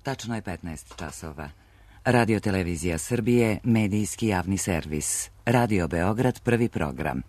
Tačno je 15 časova. Radio Televizija Srbije, medijski javni servis. Radio Beograd, prvi program.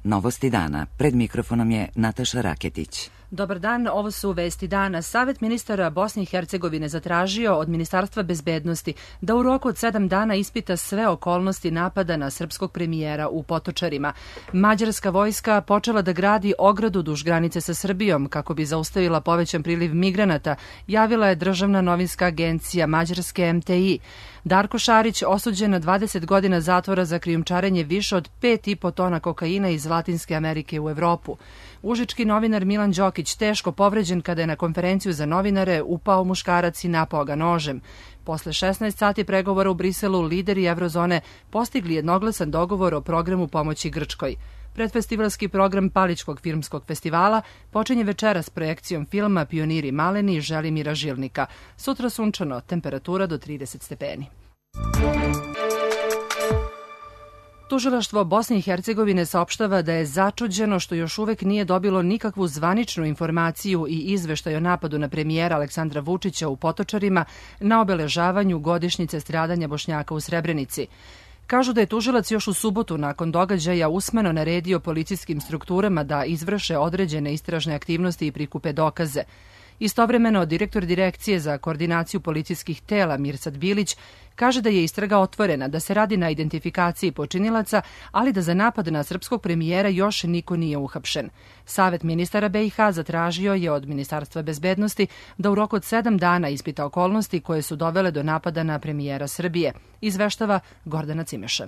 Novosti dana. Pred mikrofonom je Nataša Raketić. Dobar dan, ovo su vesti dana. Savet ministara Bosne i Hercegovine zatražio od Ministarstva bezbednosti da u roku od 7 dana ispita sve okolnosti napada na srpskog premijera u Potočarima. Mađarska vojska počela da gradi ogradu duž granice sa Srbijom kako bi zaustavila povećan priliv migranata, javila je državna novinska agencija Mađarske MTI. Darko Šarić osuđen na 20 godina zatvora za krijumčarenje više od 5,5 tona kokaina iz Latinske Amerike u Evropu. Užički novinar Milan Đokić teško povređen kada je na konferenciju za novinare upao muškarac i napao ga nožem. Posle 16 sati pregovora u Briselu, lideri Evrozone postigli jednoglasan dogovor o programu pomoći Grčkoj. Predfestivalski program Palićkog filmskog festivala počinje večeras s projekcijom filma Pioniri maleni i Želimira Žilnika. Sutra sunčano, temperatura do 30 stepeni. Tužilaštvo Bosne i Hercegovine saopštava da je začuđeno što još uvek nije dobilo nikakvu zvaničnu informaciju i izveštaj o napadu na premijera Aleksandra Vučića u Potočarima na obeležavanju godišnjice stradanja Bošnjaka u Srebrenici. Kažu da je tužilac još u subotu nakon događaja usmeno naredio policijskim strukturama da izvrše određene istražne aktivnosti i prikupe dokaze. Istovremeno, direktor Direkcije za koordinaciju policijskih tela Mirsad Bilić kaže da je istraga otvorena, da se radi na identifikaciji počinilaca, ali da za napad na srpskog premijera još niko nije uhapšen. Savet ministara BiH zatražio je od Ministarstva bezbednosti da u roku od 7 dana ispita okolnosti koje su dovele do napada na premijera Srbije, izveštava Gordana Cimeša.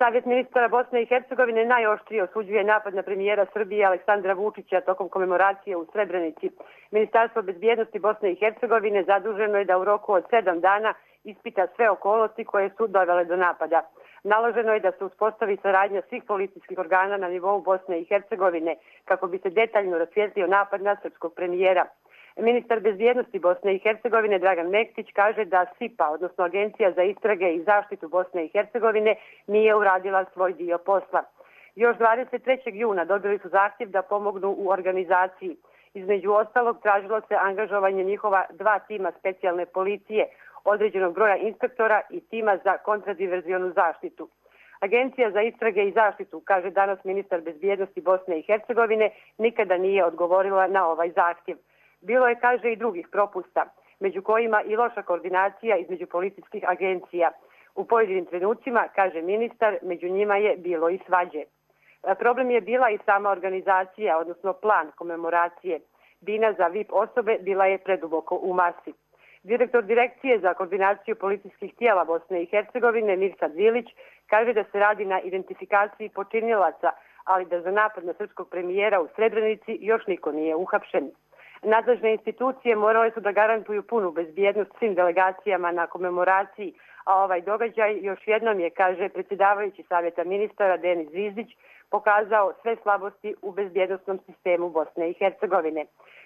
Savjet ministara Bosne i Hercegovine najoštrije osuđuje napad na premijera Srbije Aleksandra Vučića tokom komemoracije u Srebrenici. Ministarstvo bezbjednosti Bosne i Hercegovine zaduženo je da u roku od 7 dana ispita sve okolnosti koje su dovele do napada. Naloženo je da se uspostavi saradnja svih policijskih organa na nivou Bosne i Hercegovine kako bi se detaljno rasvijetlio napad na srpskog premijera. Ministar bezbjednosti Bosne i Hercegovine Dragan Mektić kaže da SIPA, odnosno Agencija za istrage i zaštitu Bosne i Hercegovine, nije uradila svoj dio posla. Još 23. juna dobili su zahtjev da pomognu u organizaciji. Između ostalog tražilo se angažovanje njihova 2 tima specijalne policije, određenog broja inspektora i tima za kontradiverzionu zaštitu. Agencija za istrage i zaštitu, kaže danas ministar bezbjednosti Bosne i Hercegovine, nikada nije odgovorila na ovaj zahtjev. Bilo je, kaže, i drugih propusta, među kojima i loša koordinacija između policijskih agencija. U pojedinim trenucima, kaže ministar, među njima je bilo i svađe. Problem je bila i sama organizacija, odnosno plan komemoracije. Bina za VIP osobe bila je preduboko u masi. Direktor Direkcije za koordinaciju policijskih tijela Bosne i Hercegovine Mirsad Bilić kaže da se radi na identifikaciji počinilaca, ali da za napad na srpskog premijera u Srebrenici još niko nije uhapšen. Nadležne institucije morale su da garantuju punu bezbjednost svim delegacijama na komemoraciji, a ovaj događaj još jednom je, kaže predsjedavajući Savjeta ministara Denis Zvizdić, pokazao sve slabosti u bezbjednosnom sistemu Bosne i Hercegovine.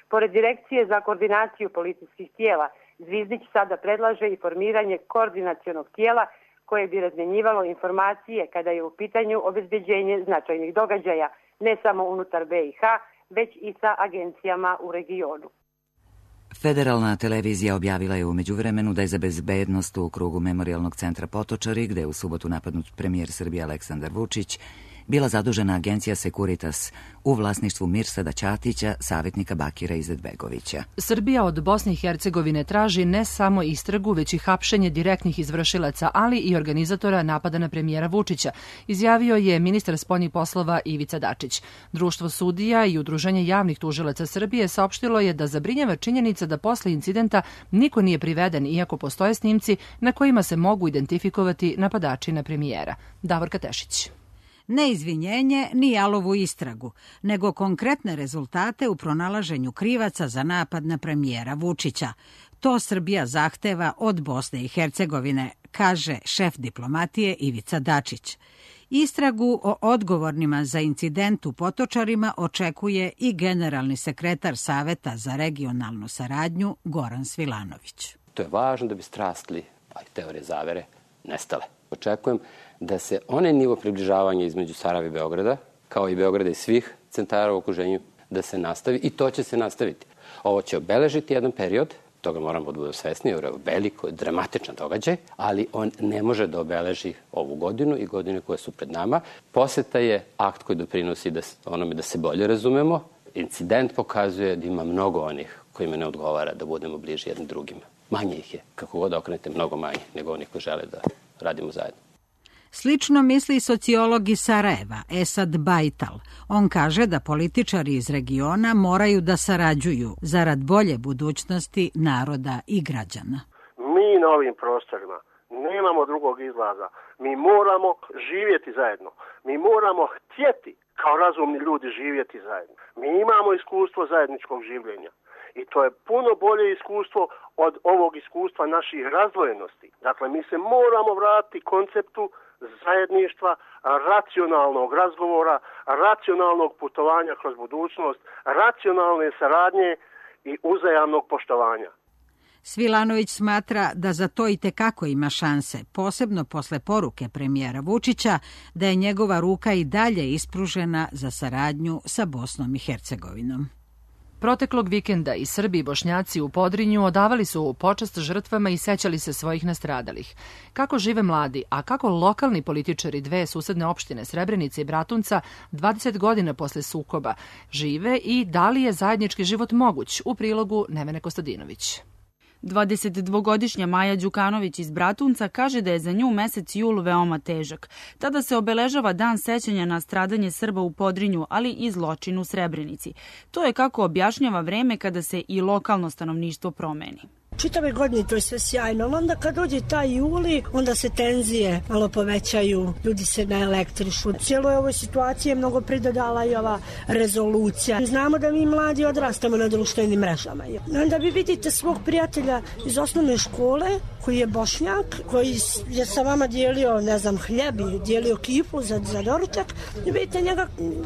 Pored Direkcije za koordinaciju policijskih tijela, Zvizdić sada predlaže i formiranje koordinacionog tijela koje bi razmjenjivalo informacije kada je u pitanju obezbeđenje značajnih događaja, ne samo unutar BiH, već i sa agencijama u regionu. Federalna televizija objavila je u međuvremenu da je za bezbednost u krugu Memorijalnog centra Potočari, gde je u subotu napadnut premijer Srbije Aleksandar Vučić, bila zadužena agencija Securitas u vlasništvu Mirsada Ćatića, savjetnika Bakira Izetbegovića. Srbija od Bosne i Hercegovine traži ne samo istragu, već i hapšenje direktnih izvršilaca, ali i organizatora napada na premijera Vučića, izjavio je ministar spoljnih poslova Ivica Dačić. Društvo sudija i Udruženje javnih tužilaca Srbije saopštilo je da zabrinjava činjenica da posle incidenta niko nije priveden, iako postoje snimci na kojima se mogu identifikovati napadači na premijera. Davorka Tešić. Ne izvinjenje ni jalovu istragu, nego konkretne rezultate u pronalaženju krivaca za napad na premijera Vučića. To Srbija zahteva od Bosne i Hercegovine, kaže šef diplomatije Ivica Dačić. Istragu o odgovornima za incident u Potočarima očekuje i generalni sekretar Saveta za regionalnu saradnju Goran Svilanović. To je važno da bi strasti, a i teorije zavere, nestale. Očekujem da se onaj nivo približavanja između Sarajeva i Beograda, kao i Beograda i svih centara u okruženju, da se nastavi i to će se nastaviti. Ovo će obeležiti jedan period, toga moramo da budemo svesni, jer je veliko, dramatičan događaj, ali on ne može da obeleži ovu godinu i godine koje su pred nama. Poseta je akt koji doprinosi onome da se bolje razumemo. Incident pokazuje da ima mnogo onih kojima ne odgovara da budemo bliži jednim drugima. Manje ih je, kako god okrenete, mnogo manje nego oni koji žele da radimo zajedno. Slično misli sociolog iz Sarajeva, Esad Bajtal. On kaže da političari iz regiona moraju da sarađuju zarad bolje budućnosti naroda i građana. Mi na ovim prostorima nemamo drugog izlaza. Mi moramo živjeti zajedno. Mi moramo htjeti kao razumni ljudi živjeti zajedno. Mi imamo iskustvo zajedničkog življenja. I to je puno bolje iskustvo od ovog iskustva naših razdvojenosti. Dakle, mi se moramo vratiti konceptu zajedništva, racionalnog razgovora, racionalnog putovanja kroz budućnost, racionalne saradnje i uzajamnog poštovanja. Svilanović smatra da za to i tekako ima šanse, posebno posle poruke premijera Vučića da je njegova ruka i dalje ispružena za saradnju sa Bosnom i Hercegovinom. Proteklog vikenda i Srbi i Bošnjaci u Podrinju odavali su počast žrtvama i sećali se svojih nastradalih. Kako žive mladi, a kako lokalni političari dve susedne opštine Srebrenice i Bratunca 20 godina posle sukoba žive i da li je zajednički život moguć, u prilogu Nevene Kostadinović. 22-godišnja Maja Đukanović iz Bratunca kaže da je za nju mesec jul veoma težak. Tada se obeležava dan sećanja na stradanje Srba u Podrinju, ali i zločin u Srebrenici. To je kako objašnjava vreme kada se i lokalno stanovništvo promeni. Čitave godine to je sve sjajno, ali onda kad dođe taj juli, onda se tenzije malo povećaju, ljudi se naelektrišu. Cijeloj ovoj situaciji je mnogo pridodala i ova rezolucija. Znamo da mi mladi odrastamo na društvenim mrežama. Onda vi vidite svog prijatelja iz osnovne škole, koji je Bošnjak, koji je sa vama dijelio, ne znam, hljeb i dijelio kifu za doručak. I vidite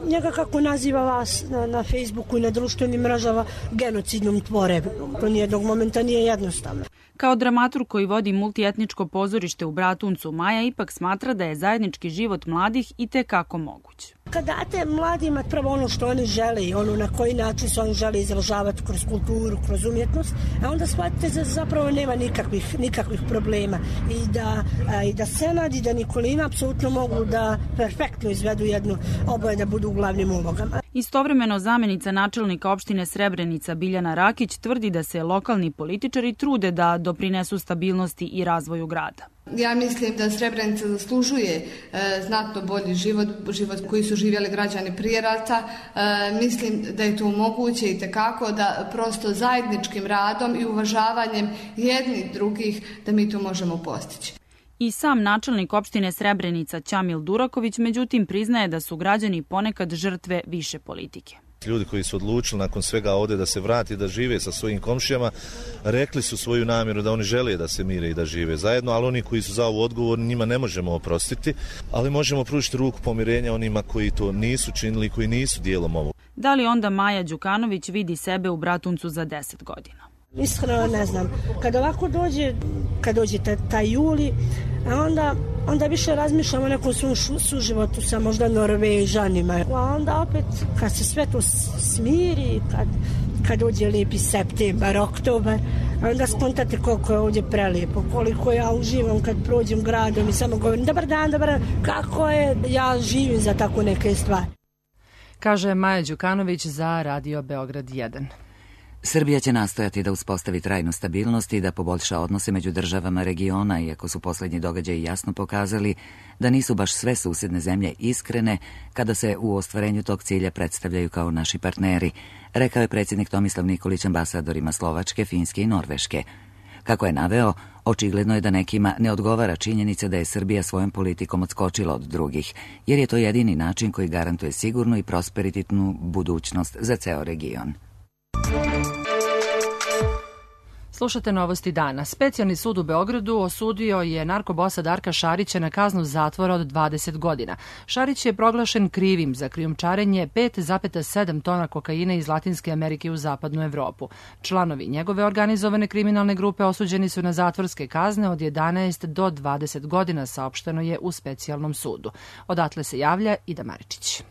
njega kako naziva vas na Facebooku i na društvenim mrežama genocidnom tvorevinom. To nijednog momenta nije jednostavno. Kao dramaturg koji vodi multietničko pozorište u Bratuncu, Maja ipak smatra da je zajednički život mladih i tekako moguć. Kad date mladima prvo ono što oni žele i ono na koji način se oni žele izražavati kroz kulturu, kroz umjetnost, a onda shvatite da zapravo nema nikakvih problema i da Senad i da Nikolina apsolutno mogu da perfektno izvedu jednu oboje da budu u glavnim ulogama. Istovremeno zamenica načelnika opštine Srebrenica Biljana Rakić tvrdi da se lokalni političari trude da doprinesu stabilnosti i razvoju grada. Ja mislim da Srebrenica zaslužuje znatno bolji život koji su živjeli građani prije rata. Mislim da je to moguće i tekako da prosto zajedničkim radom i uvažavanjem jednih drugih da mi to možemo postići. I sam načelnik opštine Srebrenica Ćamil Duraković međutim priznaje da su građani ponekad žrtve više politike. Ljudi koji su odlučili nakon svega ovdje da se vrati, da žive sa svojim komšijama, rekli su svoju namjeru da oni žele da se mire i da žive zajedno, ali oni koji su za ovo odgovorni, njima ne možemo oprostiti, ali možemo pružiti ruku pomirenja onima koji to nisu činili i koji nisu dijelom ovog. Da li onda Maja Đukanović vidi sebe u Bratuncu za 10 godina? Iskreno ne znam. Kad ovako dođe taj juli, onda više razmišljamo o nekom svom suživotu sa možda Norvežanima. A onda opet, kad se sve to smiri, kad dođe lijepi septembar, oktobar, onda skontate koliko je ovdje prelijepo, koliko ja uživam kad prođem gradom i samo govorim dobar dan, kako je, ja živim za tako neke stvari. Kaže Maja Đukanović za Radio Beograd 1. Srbija će nastojati da uspostavi trajnu stabilnost i da poboljša odnose među državama regiona, iako su poslednji događaji jasno pokazali da nisu baš sve susedne zemlje iskrene kada se u ostvarenju tog cilja predstavljaju kao naši partneri, rekao je predsjednik Tomislav Nikolić ambasadorima Slovačke, Finske i Norveške. Kako je naveo, očigledno je da nekima ne odgovara činjenica da je Srbija svojom politikom odskočila od drugih, jer je to jedini način koji garantuje sigurnu i prosperitetnu budućnost za ceo region. Slušate novosti dana. Specijalni sud u Beogradu osudio je narkobosa Darka Šarića na kaznu zatvora od 20 godina. Šarić je proglašen krivim za krijumčarenje 5,7 tona kokaina iz Latinske Amerike u zapadnu Evropu. Članovi njegove organizovane kriminalne grupe osuđeni su na zatvorske kazne od 11 do 20 godina, saopšteno je u specijalnom sudu. Odatle se javlja Ida Maričić.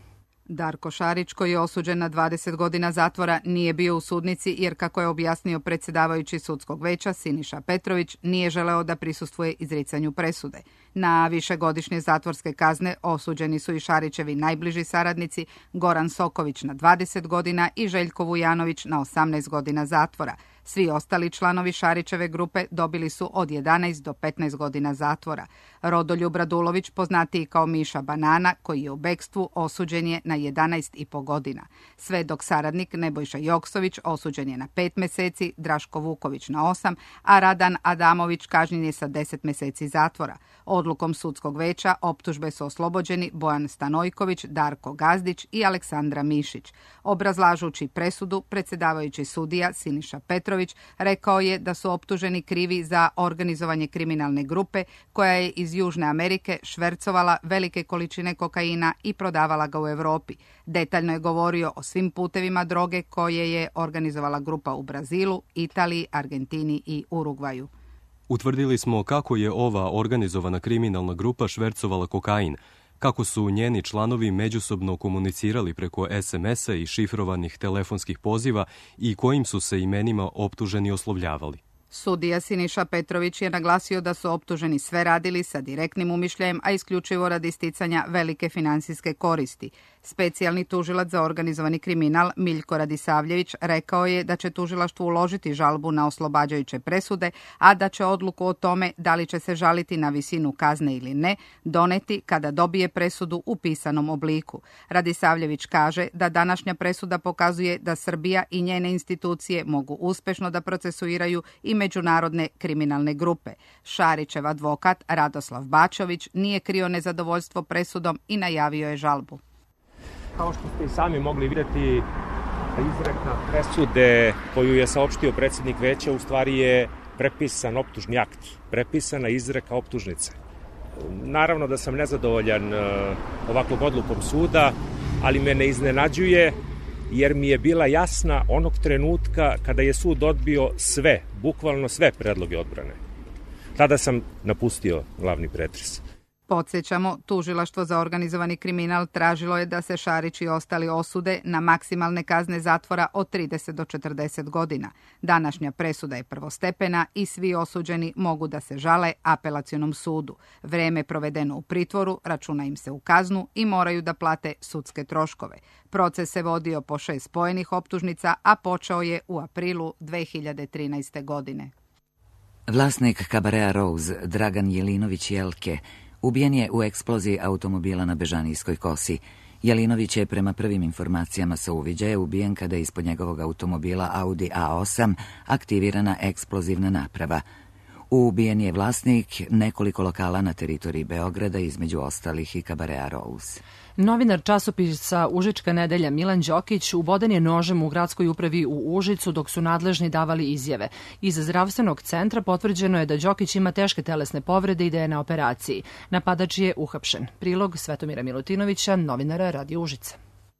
Darko Šarić, koji je osuđen na 20 godina zatvora, nije bio u sudnici jer, kako je objasnio predsjedavajući sudskog veća Siniša Petrović, nije želeo da prisustvuje izricanju presude. Na višegodišnje zatvorske kazne osuđeni su i Šarićevi najbliži saradnici Goran Soković na 20 godina i Željko Vujanović na 18 godina zatvora. Svi ostali članovi Šarićeve grupe dobili su od 11 do 15 godina zatvora. Rodoljub Radulović, poznatiji kao Miša Banana, koji je u bekstvu, osuđen je na 11,5 godina. Sve dok saradnik Nebojša Joksović osuđen je na 5 meseci, Draško Vuković na 8, a Radan Adamović kažnjen je sa 10 meseci zatvora. Odlukom sudskog veća optužbe su oslobođeni Bojan Stanojković, Darko Gazdić i Aleksandra Mišić. Obrazlažući presudu, predsjedavajući sudija Siniša Petrović rekao je da su optuženi krivi za organizovanje kriminalne grupe koja je iz Južne Amerike švercovala velike količine kokaina i prodavala ga u Europi. Detaljno je govorio o svim putevima droge koje je organizovala grupa u Brazilu, Italiji, Argentini i Urugvaju. Utvrdili smo kako je ova organizovana kriminalna grupa švercovala kokain, kako su njeni članovi međusobno komunicirali preko SMS-a i šifrovanih telefonskih poziva i kojim su se imenima optuženi oslovljavali. Sudija Siniša Petrović je naglasio da su optuženi sve radili sa direktnim umišljajem, a isključivo radi sticanja velike finansijske koristi. Specijalni tužilac za organizovani kriminal Miljko Radisavljević rekao je da će tužilaštvo uložiti žalbu na oslobađajuće presude, a da će odluku o tome da li će se žaliti na visinu kazne ili ne doneti kada dobije presudu u pisanom obliku. Radisavljević kaže da današnja presuda pokazuje da Srbija i njene institucije mogu uspešno da procesuiraju i međunarodne kriminalne grupe. Šarićev advokat Radoslav Bačović nije krio nezadovoljstvo presudom i najavio je žalbu. Kao što ste i sami mogli vidjeti, izreka presude koju je saopštio predsjednik veća u stvari je prepisan optužni akt, prepisana izreka optužnice. Naravno da sam nezadovoljan ovakvom odlukom suda, ali me ne iznenađuje jer mi je bila jasna onog trenutka kada je sud odbio sve, bukvalno sve predloge odbrane. Tada sam napustio glavni pretres. Podsjećamo, tužilaštvo za organizovani kriminal tražilo je da se Šarić i ostali osude na maksimalne kazne zatvora od 30 do 40 godina. Današnja presuda je prvostepena i svi osuđeni mogu da se žale apelacionom sudu. Vreme provedeno u pritvoru računa im se u kaznu i moraju da plate sudske troškove. Proces se vodio po 6 spojenih optužnica, a počeo je u aprilu 2013. godine. Vlasnik kabarea Rose, Dragan Jelinović Jelke, ubijen je u eksploziji automobila na Bežanijskoj kosi. Jelinović je prema prvim informacijama sa uviđaja ubijen kada je ispod njegovog automobila Audi A8 aktivirana eksplozivna naprava. Ubijen je vlasnik nekoliko lokala na teritoriji Beograda, između ostalih i kabarea Rose. Novinar časopisa Užička nedelja Milan Đokić uboden je nožem u gradskoj upravi u Užicu dok su nadležni davali izjave. Iz zdravstvenog centra potvrđeno je da Đokić ima teške telesne povrede i da je na operaciji. Napadač je uhapšen. Prilog Svetomira Milutinovića, novinara Radio Užica.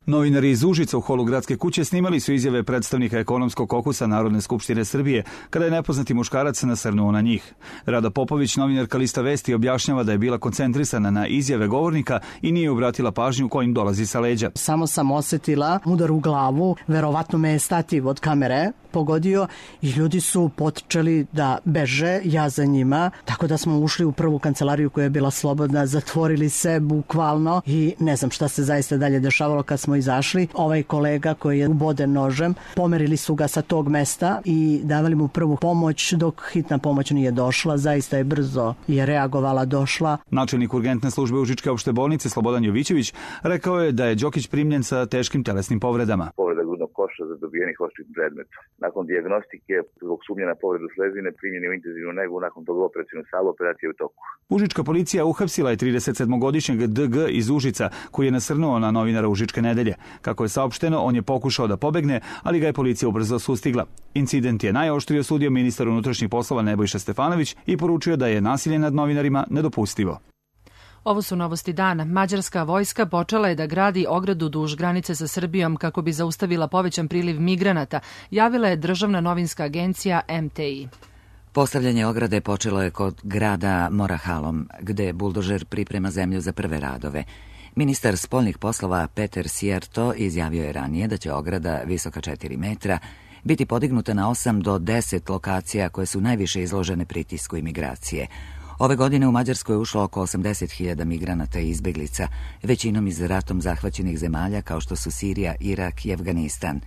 Novinari iz Užica u holu gradske kuće snimali su izjave predstavnika ekonomskog kokusa Narodne skupštine Srbije, kada je nepoznati muškarac nasrnuo na njih. Rada Popović, novinarka Lista Vesti, objašnjava da je bila koncentrisana na izjave govornika i nije obratila pažnju kojim dolazi sa leđa. Samo sam osetila udar u glavu, verovatno me je stativ od kamere pogodio i ljudi su počeli da beže, ja za njima, tako da smo ušli u prvu kancelariju koja je bila slobodna, zatvorili se bukvalno i ne znam šta se zaista dalje dešavalo kad smo izašli. Ovaj kolega koji je uboden nožem, pomerili su ga sa tog mesta i davali mu prvu pomoć dok hitna pomoć nije došla, zaista je brzo je reagovala, došla. Načelnik urgentne službe Užičke opšte bolnice Slobodan Jovićević rekao je da je Đokić primljen sa teškim telesnim povredama. Povreda grudnog koša za dobijeni hospitalni predmet. Nakon dijagnostike zbog sumnje na povredu slezine primljen je u intenzivnu negu, nakon toga operacijnu salu, operacija u toku. Užička policija uhapsila je 37-godišnjeg DG iz Užica koji je nasrnuo na novinara Užičke nedelje. Kako je saopšteno, on je pokušao da pobegne, ali ga je policija ubrzo sustigla. Incident je najoštrije osudio ministar unutrašnjih poslova Nebojša Stefanović i poručio da je nasilje nad novinarima nedopustivo. Ovo su novosti dana. Mađarska vojska počela je da gradi ogradu duž granice sa Srbijom kako bi zaustavila povećan priliv migranata, javila je državna novinska agencija MTI. Postavljanje ograde počelo je kod grada Morahalom, gde buldožer priprema zemlju za prve radove. Ministar spoljnih poslova Peter Sierto izjavio je ranije da će ograda visoka 4 metra biti podignuta na 8 do 10 lokacija koje su najviše izložene pritisku imigracije. Ove godine u Mađarskoj je ušlo oko 80.000 migranata i izbeglica, većinom iz ratom zahvaćenih zemalja kao što su Sirija, Irak i Afganistan.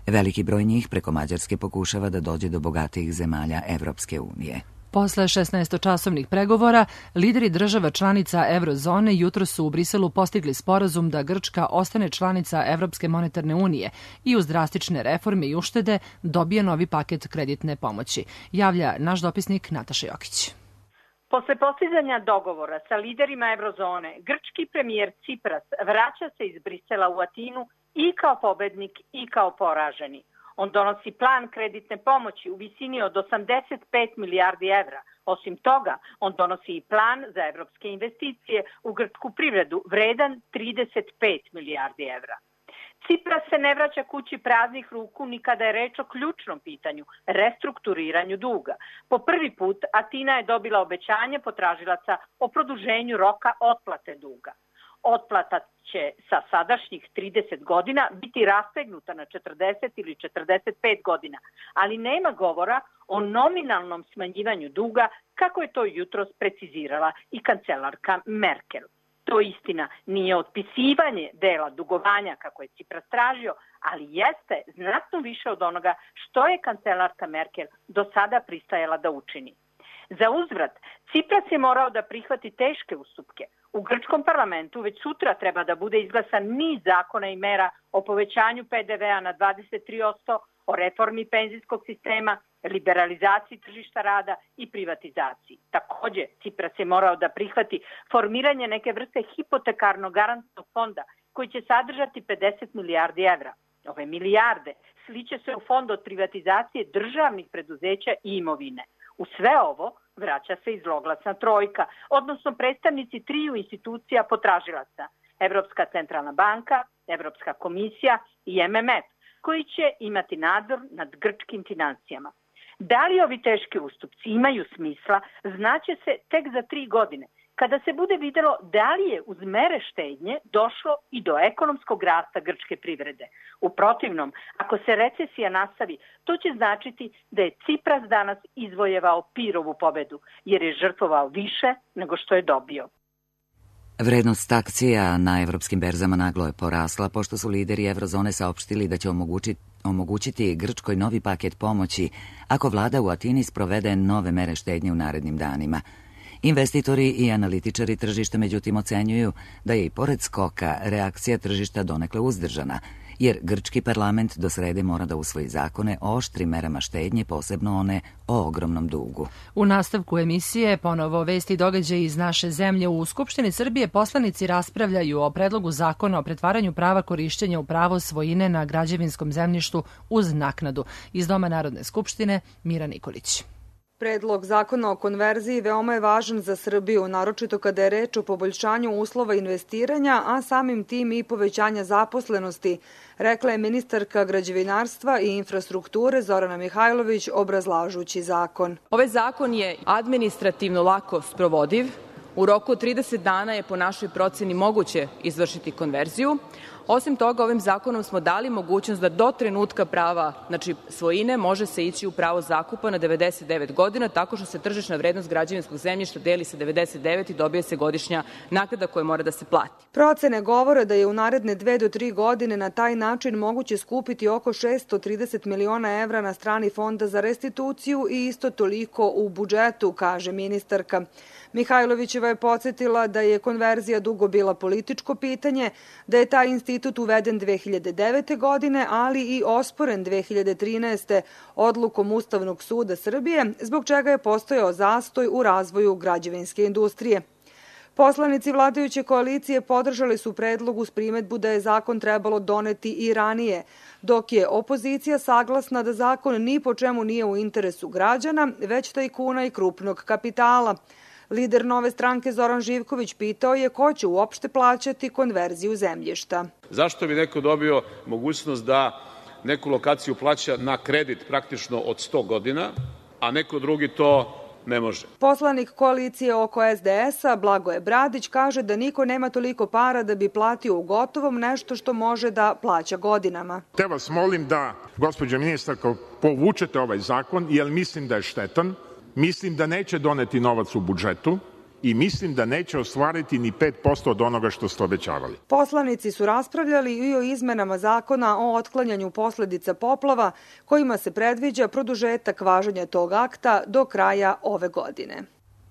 Veliki broj njih preko Mađarske pokušava da dođe do bogatijih zemalja Evropske unije. Posle 16-časovnih pregovora, lideri država članica Eurozone jutro su u Briselu postigli sporazum da Grčka ostane članica Evropske monetarne unije i uz drastične reforme i uštede dobije novi paket kreditne pomoći, javlja naš dopisnik Nataša Jokić. Posle postizanja dogovora sa liderima Eurozone, grčki premijer Cipras vraća se iz Brisela u Atinu i kao pobednik i kao poraženi. On donosi plan kreditne pomoći u visini od 85 milijardi evra. Osim toga, on donosi i plan za evropske investicije u grčku privredu vredan 35 milijardi evra. Cipras se ne vraća kući praznih ruku ni kada je reč o ključnom pitanju, restrukturiranju duga. Po prvi put Atina je dobila obećanje potražilaca o produženju roka otplate duga. Otplata će sa sadašnjih 30 godina biti rastegnuta na 40 ili 45 godina, ali nema govora o nominalnom smanjivanju duga kako je to jutros precizirala i kancelarka Merkel. To istina nije otpisivanje dela dugovanja kako je Cipras tražio, ali jeste znatno više od onoga što je kancelarka Merkel do sada pristajala da učini. Za uzvrat, Cipras je morao da prihvati teške ustupke. U grčkom parlamentu već sutra treba da bude izglasan niz zakona i mera o povećanju PDV-a na 23%, o reformi penzijskog sistema, liberalizaciji tržišta rada i privatizaciji. Takođe, Cipras je morao da prihvati formiranje neke vrste hipotekarnog garantnog fonda koji će sadržati 50 milijardi evra. Ove milijarde sliće se u fond od privatizacije državnih preduzeća i imovine. U sve ovo vraća se i zloglasna trojka, odnosno predstavnici triju institucija potražilaca, Evropska centralna banka, Evropska komisija i MMF, koji će imati nadzor nad grčkim financijama. Da li ovi teški ustupci imaju smisla, znaće se tek za 3 godine, kada se bude videlo da li je uz mere štednje došlo i do ekonomskog rasta grčke privrede. U protivnom, ako se recesija nastavi, to će značiti da je Cipras danas izvojevao Pirovu pobedu, jer je žrtvovao više nego što je dobio. Vrednost akcija na evropskim berzama naglo je porasla, pošto su lideri Eurozone saopštili da će omogućiti Grčkoj novi paket pomoći ako vlada u Atini sprovede nove mere štednje u narednim danima. Investitori i analitičari tržišta međutim ocenjuju da je i pored skoka reakcija tržišta donekle uzdržana, jer grčki parlament do srede mora da usvoji zakone o oštrim merama štednje, posebno one o ogromnom dugu. U nastavku emisije ponovo vesti i događaji iz naše zemlje. U Skupštini Srbije poslanici raspravljaju o predlogu zakona o pretvaranju prava korišćenja u pravo svojine na građevinskom zemljištu uz naknadu. Iz Doma Narodne skupštine Mira Nikolić. Predlog zakona o konverziji veoma je važan za Srbiju, naročito kada je reč o poboljšanju uslova investiranja, a samim tim i povećanja zaposlenosti, rekla je ministarka građevinarstva i infrastrukture Zorana Mihajlović obrazlažući zakon. Ovaj zakon je administrativno lako sprovodiv. U roku od 30 dana je po našoj proceni moguće izvršiti konverziju. Osim toga, ovim zakonom smo dali mogućnost da do trenutka prava, znači svojine, može se ići u pravo zakupa na 99 godina, tako što se tržišna vrednost građevinskog zemljišta deli sa 99 i dobije se godišnja naknada koja mora da se plati. Procene govore da je u naredne 2 do 3 godine na taj način moguće skupiti oko 630 miliona evra na strani Fonda za restituciju i isto toliko u budžetu, kaže ministarka. Mihajlovićeva je podsjetila da je konverzija dugo bila političko pitanje, da je taj institut uveden 2009. godine, ali i osporen 2013. odlukom Ustavnog suda Srbije, zbog čega je postojao zastoj u razvoju građevinske industrije. Poslanici vladajuće koalicije podržali su predlog uz primetbu da je zakon trebalo doneti i ranije, dok je opozicija saglasna da zakon ni po čemu nije u interesu građana, već tajkuna i krupnog kapitala. Lider Nove stranke Zoran Živković pitao je ko će uopšte plaćati konverziju zemljišta. Zašto bi neko dobio mogućnost da neku lokaciju plaća na kredit praktično od 100 godina, a neko drugi to ne može. Poslanik koalicije oko SDS-a Blagoje Bradić kaže da niko nema toliko para da bi platio u gotovom nešto što može da plaća godinama. Te vas molim da, gospođo ministarko, povučete ovaj zakon, jer mislim da je štetan, mislim da neće doneti novac u budžetu i mislim da neće ostvariti ni 5% od onoga što ste obećavali. Poslanici su raspravljali i o izmenama zakona o otklanjanju posledica poplava, kojima se predviđa produžetak važenja tog akta do kraja ove godine.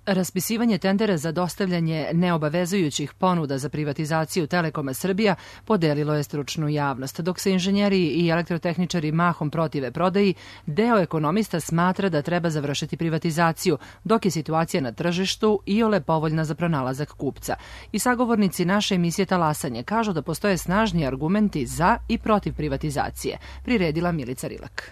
Raspisivanje tendera za dostavljanje neobavezujućih ponuda za privatizaciju Telekoma Srbija podelilo je stručnu javnost. Dok se inženjeri i elektrotehničari mahom protive prodaji, deo ekonomista smatra da treba završiti privatizaciju, dok je situacija na tržištu iole povoljna za pronalazak kupca. I sagovornici naše emisije Talasanje kažu da postoje snažni argumenti za i protiv privatizacije, priredila Milica Rilak.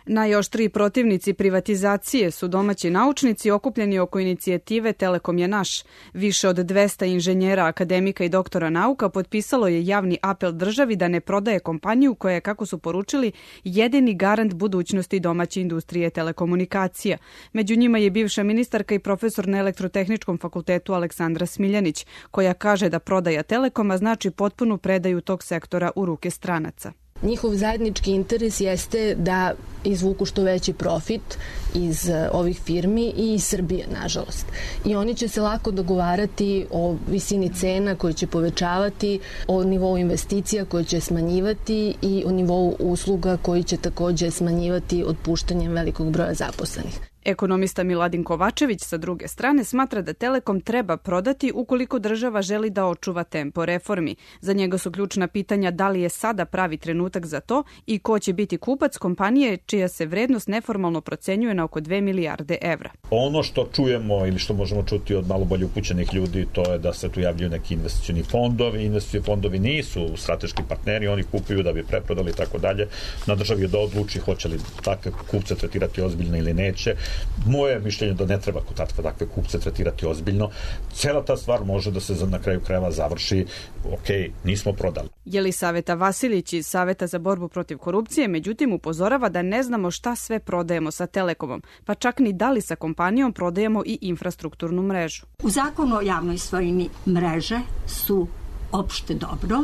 Najoštriji protivnici privatizacije su domaći naučnici okupljeni oko inicijative Telekom je naš. Više od 200 inženjera, akademika i doktora nauka potpisalo je javni apel državi da ne prodaje kompaniju koja je, kako su poručili, jedini garant budućnosti domaće industrije telekomunikacija. Među njima je bivša ministarka i profesor na Elektrotehničkom fakultetu Aleksandra Smiljanić, koja kaže da prodaja Telekoma znači potpunu predaju tog sektora u ruke stranaca. Njihov zajednički interes jeste da izvuku što veći profit iz ovih firmi i iz Srbije, nažalost. I oni će se lako dogovarati o visini cena koje će povećavati, o nivou investicija koje će smanjivati i o nivou usluga koji će takođe smanjivati otpuštanjem velikog broja zaposlenih. Ekonomista Miladin Kovačević sa druge strane smatra da Telekom treba prodati ukoliko država želi da očuva tempo reformi. Za njega su ključna pitanja da li je sada pravi trenutak za to i ko će biti kupac kompanije čija se vrednost neformalno procenjuje na oko 2 milijarde evra. Ono što čujemo ili što možemo čuti od malo bolje upućenih ljudi, to je da se tu javljaju neki investicioni fondovi. Investicioni fondovi nisu strateški partneri, oni kupuju da bi preprodali i tako dalje. Na državi je da odluči hoće li takve kupce tretirati ozbiljno ili neće. Moje mišljenje da ne treba takve kupce tretirati ozbiljno. Cela ta stvar može da se na kraju krajeva završi, nismo prodali. Jelisaveta Vasilić iz Saveta za borbu protiv korupcije, međutim upozorava da ne znamo šta sve prodajemo sa Telekomom, pa čak ni da li sa kompanijom prodajemo i infrastrukturnu mrežu. U zakonu o javnoj svojini mreže su opšte dobro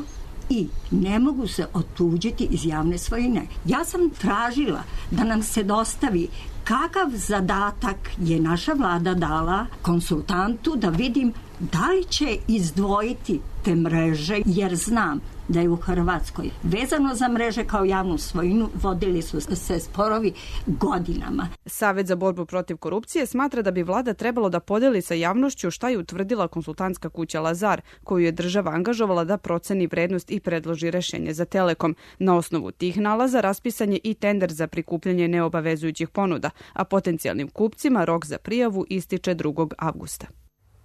i ne mogu se otuđiti iz javne svojine. Ja sam tražila da nam se dostavi kakav zadatak je naša vlada dala konsultantu da vidim da li će izdvojiti te mreže, jer znam da je u Hrvatskoj vezano za mreže kao javnu svojinu vodili su se sporovi godinama. Savet za borbu protiv korupcije smatra da bi vlada trebalo da podeli sa javnošću šta je utvrdila konsultantska kuća Lazar, koju je država angažovala da proceni vrednost i predloži rešenje za Telekom. Na osnovu tih nalaza raspisan je i tender za prikupljanje neobavezujućih ponuda, a potencijalnim kupcima rok za prijavu ističe 2. avgusta.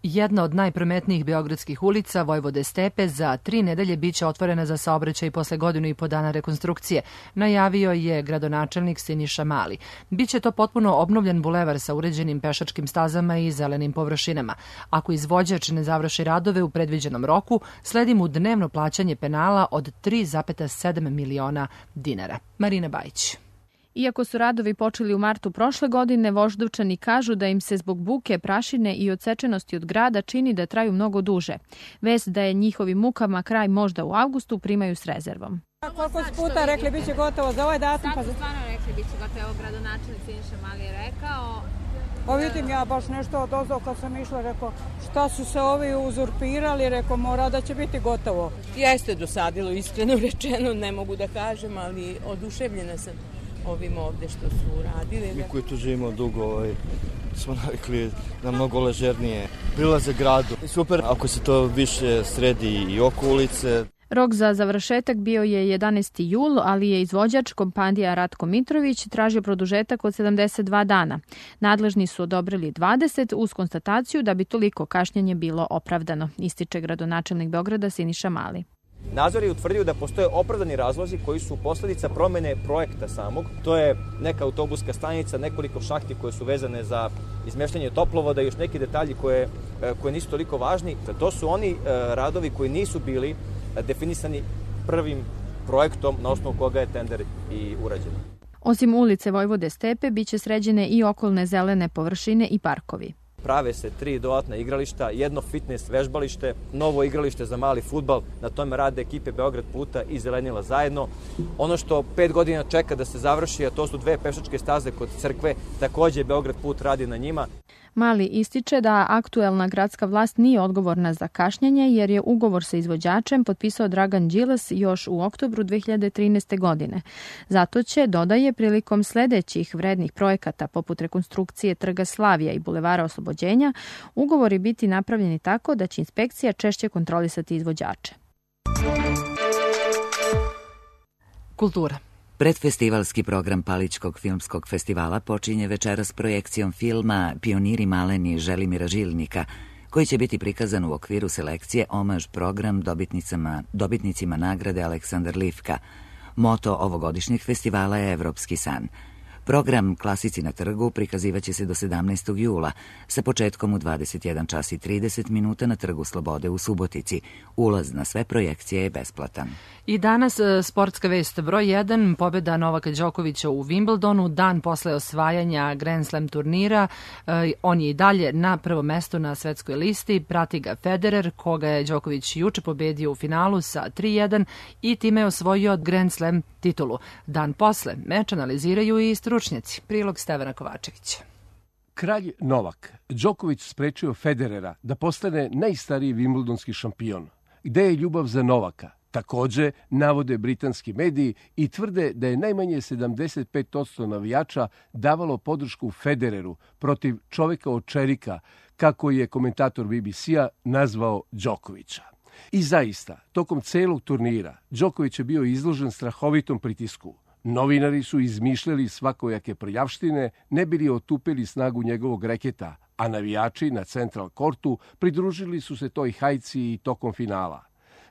Jedna od najprometnijih beogradskih ulica, Vojvode Stepe, za 3 nedelje biće otvorena za saobraćaj posle 1,5 dana rekonstrukcije, najavio je gradonačelnik Siniša Mali. Biće to potpuno obnovljen bulevar sa uređenim pešačkim stazama i zelenim površinama. Ako izvođač ne završi radove u predviđenom roku, sledi mu dnevno plaćanje penala od 3,7 miliona dinara. Marina Bajić. Iako su radovi počeli u martu prošle godine, Voždovčani kažu da im se zbog buke, prašine i odsečenosti od grada čini da traju mnogo duže. Vest da je njihovim mukama kraj možda u avgustu primaju s rezervom. Koliko su puta rekli bit će gotovo za ovaj datum? Sad su stvarno rekli bit će gotovo. Evo gradonačelnik Siniša Mali je rekao. Pa vidim ja baš nešto odozdo kad sam išla, rekao šta su se ovi uzurpirali, rekao mora da će biti gotovo. Jeste dosadilo, iskreno rečeno, ne mogu da kažem, ali oduševljena sam ovim ovde što su radili. Mi koji tu živimo dugo smo navikli na mnogo ležernije prilaze gradu. Super ako se to više sredi i oko ulice. Rok za završetak bio je 11. jul, ali je izvođač kompanija Ratko Mitrović tražio produžetak od 72 dana. Nadležni su odobrili 20 uz konstataciju da bi toliko kašnjenje bilo opravdano, ističe gradonačelnik Beograda Siniša Mali. Nadzor je utvrdio da postoje opravdani razlozi koji su posledica promene projekta samog. To je neka autobuska stanica, nekoliko šahti koje su vezane za izmeštanje toplovoda i još neki detalji koje nisu toliko važni. To su oni radovi koji nisu bili definisani prvim projektom na osnovu koga je tender i urađen. Osim ulice Vojvode Stepe, biće sređene i okolne zelene površine i parkovi. Prave se 3 dodatna igrališta, jedno fitness vežbalište, novo igralište za mali fudbal, na tome rade ekipe Beograd puta i Zelenila zajedno. Ono što 5 godina čeka da se završi, a to su 2 pešačke staze kod crkve, takođe Beograd put radi na njima. Mali ističe da aktuelna gradska vlast nije odgovorna za kašnjenje jer je ugovor sa izvođačem potpisao Dragan Đilas još u oktobru 2013. godine. Zato će, dodaje, prilikom sledećih vrednih projekata poput rekonstrukcije Trga Slavija i Bulevara Oslobođenja, ugovori biti napravljeni tako da će inspekcija češće kontrolisati izvođače. Kultura. Predfestivalski program Palićkog filmskog festivala počinje večeras projekcijom filma Pioniri maleni Želimira Žilnika, koji će biti prikazan u okviru selekcije Omaž program dobitnicima nagrade Aleksandar Livka. Moto ovogodišnjeg festivala je Evropski san. Program Klasici na trgu prikazivaće se do 17. jula, sa početkom u 21 čas i 30 minuta na Trgu Slobode u Subotici. Ulaz na sve projekcije je besplatan. I danas sportska vest broj 1, pobjeda Novaka Đokovića u Wimbledonu, dan posle osvajanja Grand Slam turnira. On je i dalje na prvom mestu na svetskoj listi, prati ga Federer, koga je Đoković juče pobedio u finalu sa 3-1 i time je osvojio Grand Slam titulu. Dan posle meč analiziraju i stručnjaci. Prilog Stevana Kovačevića. Kralj Novak Đoković sprečio Federera da postane najstariji vimbldonski šampion. Gde je ljubav za Novaka? Takođe, navode britanski mediji i tvrde da je najmanje 75% navijača davalo podršku Federeru protiv čoveka od čerika, kako je komentator BBC-a nazvao Đokovića. I zaista, tokom celog turnira, Đoković je bio izložen strahovitom pritisku. Novinari su izmišljali svakojake prljavštine, ne bili otupili snagu njegovog reketa, a navijači na Central Courtu pridružili su se toj hajci i tokom finala.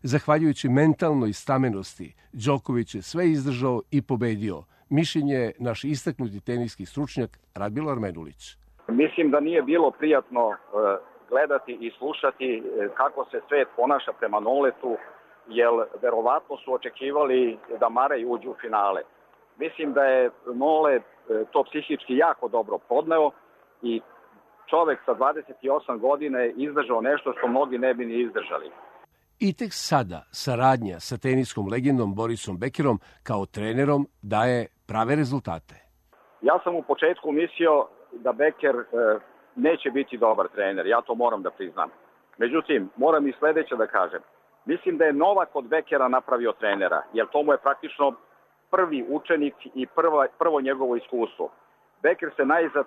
Zahvaljujući mentalnoj stamenosti, Đoković je sve izdržao i pobedio. Mišljenje je naš istaknuti teniski stručnjak Radmilo Armenulić. Mislim da nije bilo prijatno gledati i slušati kako se svet ponaša prema Noletu, jer verovatno su očekivali da Marej uđu u finale. Mislim da je Nole to psihički jako dobro podneo i čovek sa 28 godina je izdržao nešto što mnogi ne bi ni izdržali. I tek sada saradnja sa teniskom legendom Borisom Bekerom kao trenerom daje prave rezultate. Ja sam u početku mislio da Beker neće biti dobar trener, ja to moram da priznam. Međutim, moram i sledeće da kažem. Mislim da je Novak od Bekera napravio trenera, jer to mu je praktično prvi učenik i prvo njegovo iskustvo. Beker se najzad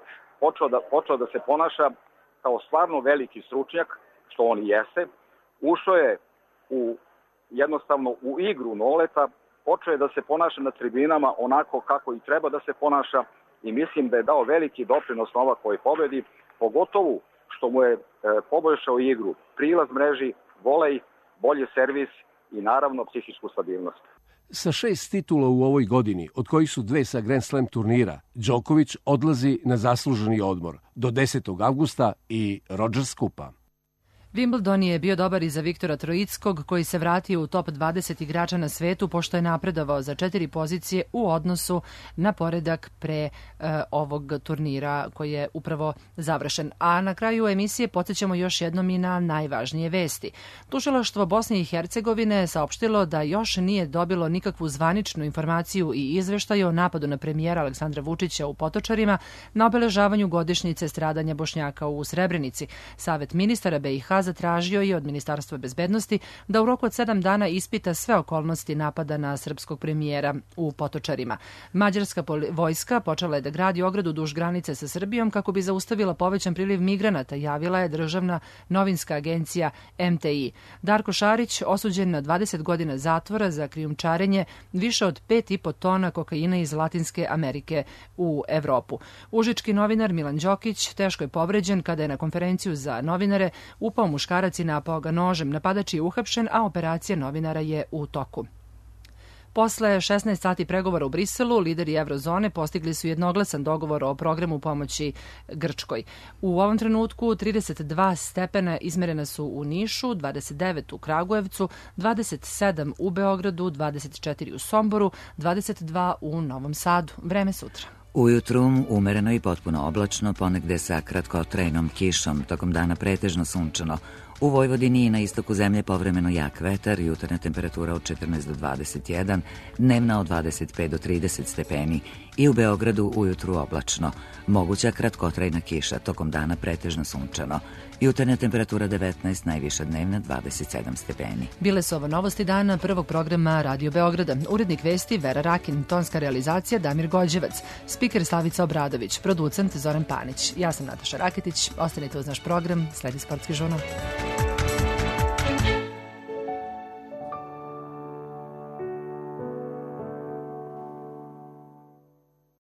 počeo da se ponaša kao stvarno veliki stručnjak, što on i jeste. Ušao je jednostavno u igru Noleta, počeo je da se ponaša na tribinama onako kako i treba da se ponaša i mislim da je dao veliki doprinos Novakoj pobedi, pogotovo što mu je poboljšao igru, prilaz mreži, volej, bolji servis i naravno psihičku stabilnost. Sa 6 titula u ovoj godini, od kojih su 2 sa Grand Slam turnira, Đoković odlazi na zasluženi odmor do 10. avgusta i Rogers Kupa. Wimbledon je bio dobar i za Viktora Troickog, koji se vratio u top 20 igrača na svetu, pošto je napredovao za 4 pozicije u odnosu na poredak pre ovog turnira koji je upravo završen. A na kraju emisije podsjećamo još jednom i na najvažnije vesti. Tužilaštvo Bosne i Hercegovine saopštilo da još nije dobilo nikakvu zvaničnu informaciju i izveštaj o napadu na premijera Aleksandra Vučića u Potočarima na obeležavanju godišnjice stradanja Bošnjaka u Srebrenici. Savet ministara BiH zatražio je od Ministarstva bezbednosti da u roku od 7 dana ispita sve okolnosti napada na srpskog premijera u Potočarima. Mađarska vojska počela je da gradi ogradu duž granice sa Srbijom kako bi zaustavila povećan priliv migranata, javila je državna novinska agencija MTI. Darko Šarić osuđen na 20 godina zatvora za krijumčarenje više od 5,5 tona kokaina iz Latinske Amerike u Evropu. Užički novinar Milan Đokić teško je povređen kada je na konferenciju za novinare upao muškarac i napao ga nožem. Napadač je uhapšen, a operacija novinara je u toku. Posle 16 sati pregovora u Briselu, lideri Evrozone postigli su jednoglasan dogovor o programu pomoći Grčkoj. U ovom trenutku 32 stepena izmerena su u Nišu, 29 u Kragujevcu, 27 u Beogradu, 24 u Somboru, 22 u Novom Sadu. Vreme sutra. Ujutru umereno i potpuno oblačno, ponegde sa kratkotrajnom kišom, tokom dana pretežno sunčano. U Vojvodini i na istoku zemlje povremeno jak vetar, jutarnja temperatura od 14 do 21, dnevna od 25 do 30 stepeni i u Beogradu ujutru oblačno. Moguća kratkotrajna kiša, tokom dana pretežno sunčano. Jutarnja temperatura 19, najviša dnevna 27 stepeni. Bile su ovo novosti dana prvog programa Radio Beograda. Urednik vesti Vera Rakin, tonska realizacija Damir Gođevac, spiker Slavica Obradović, producent Zoran Panić. Ja sam Nataša Raketić, ostanite uz naš program, sledi Sportski žurnal.